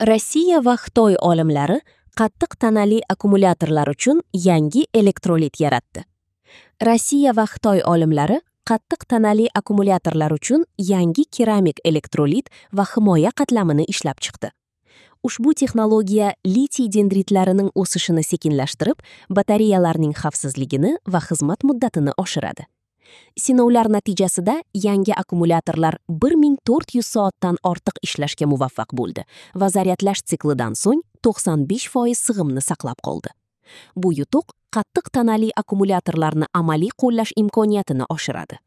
Rossiya va Xitoy olimlari qattiq tanali akkumulyatorlar uchun yangi elektrolit yaratdi. Rossiya va Xitoy olimlari qattiq tanali akkumulyatorlar uchun yangi keramik elektrolit va himoya qatlamini ishlab chiqdi. Ushbu texnologiya litiy dendritlarining o'sishini sekinlashtirib, batareyalarning xavfsizligini va xizmat muddatini oshiradi. Sinovlar natijasida yangi akkumulyatorlar 1400 soatdan ortiq ishlashga muvaffaq bo'ldi va zaryadlash siklidan so'ng 95% sig'imni saqlab qoldi. Bu yutuq qattiq tanali akkumulyatorlarni amaliy qo'llash imkoniyatini oshiradi.